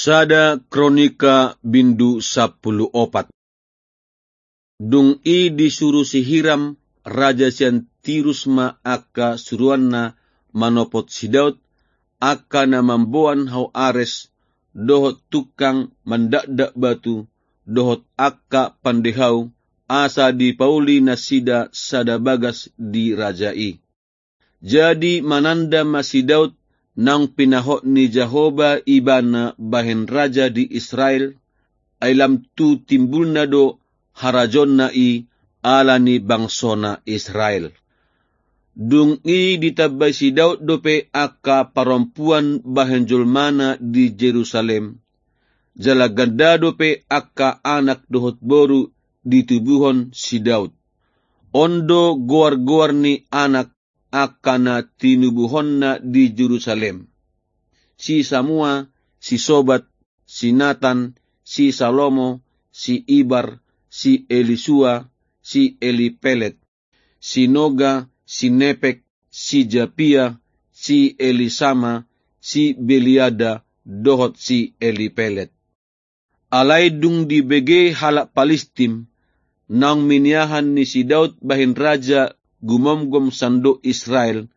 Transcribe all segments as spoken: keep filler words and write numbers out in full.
Sada Kronika bindu sampulu opat. Dung i disuru si Hiram, raja sian Tirus ma angka suruanna manopot si Daud, angka na mamboan hau ares, dohot tungkang mandakdak batu, dohot angka pandehau, asa dipauli nasida sada bagas di raja i. Jadi mananda ma si Daud naung pinahot ni Jahowa ibana bahen raja di Israel, ai lam tu timbulna do harajaonna i ala ni bangsona Israel. Dung i ditambai si Daud dope angka parompuan bahen jolmana di Jerusalem, jala ganda dope angka anak dohot boru ditubuhon si Daud. On do goar-goar ni anak angka na tinubuhonna di Jerusalem: si Samua, si Sobab, si Natan, si Salomo, si Ibhar, si Elisua, si Elipelet, si Noga, si Nepeg, si Japia, si Elisama, si Beliada, dohot si Elipelet. Alai dung dibege halak Palistim, naung miniahan ni si Daud bahen raja gumomgom sandok Israel,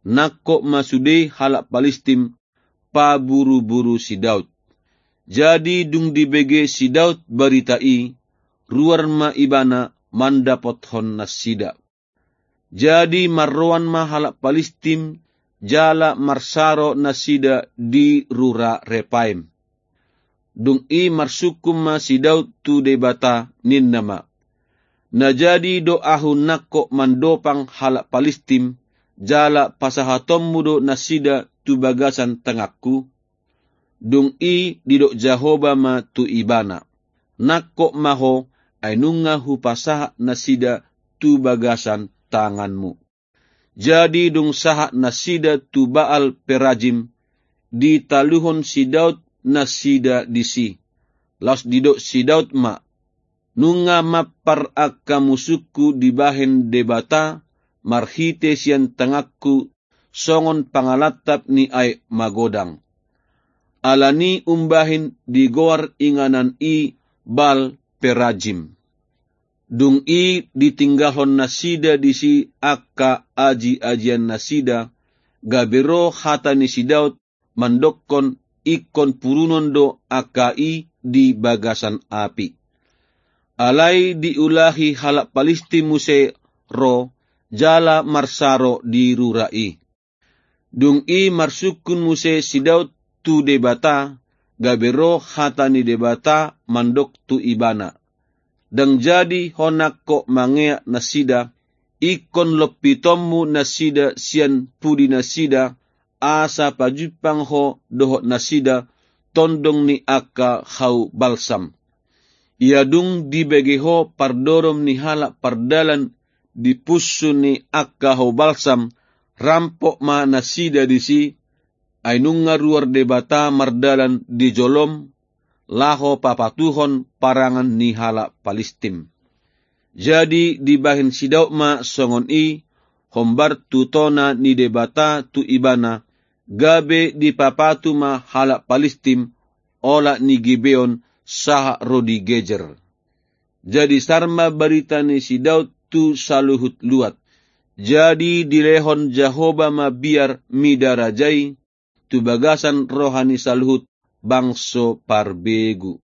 nangkok ma sude halak Palistim paburu-buru si Daud. Jadi dung dibege si Daud barita i, ruar ma ibana mandapothon nasida. Jadi marroan ma halak Palistim jala marsaro nasida di rura Repaim. Dung i marsungkun ma si Daud tu Debata, ninna ma: Na jadi do ahu nangkok mandopang halak Palistim, jala pasahatonmu do nasida tu bagasan tanganku? Dung i didok Jahowa ma tu ibana: Nangkok ma ho, ai nunga hupasahat nasida tu bagasan tanganmu. Jadi dung sahat nasida tu Baal Perajim, ditaluhon si Daud nasida disi. Laos didok si Daud ma: Nunga mampar angka musungku dibahen Debata marhite sian tanganku songon pangalantap ni aek magodang. Alani umbahen digoar inganan i Baal Perajim. Dung i ditinggalhon nasida disi angka aji-ajian nasida, gabe ro hata ni si Daud mandokkon ingkon purunon do angka i di bagasan api. Alai diulahi halak Palistim muse ro jala marsaro di rura i. Dung i marsungkun muse si Daud tu Debata, gabe ro hata ni Debata mandok tu ibana: Ndang jadi ho nangkok mangeak nasida, ingkon lompitonmu nasida sian pudi nasida, asa pajumpang ho dohot nasida tondong ni angka hau balsam. Ia dung dibege ho pardorom ni halak pardalan di punsu ni angka hau balsam, rampok ma nasida disi, ai nunga ruar Debata mardalan di jolom, laho papatuhon parangan ni halak Palistim. Jadi dibahen si Daud ma songon i hombar tu tona ni Debata tu ibana, gabe dipapatu ma halak Palistim, olat ni Gibeon sahat ro di Gezer. Jadi sar ma barita ni si Daud tu saluhut luat. Jadi dilehon Jahowa ma biar mida raja i tu bagasan roha ni saluhut bangso parbegu.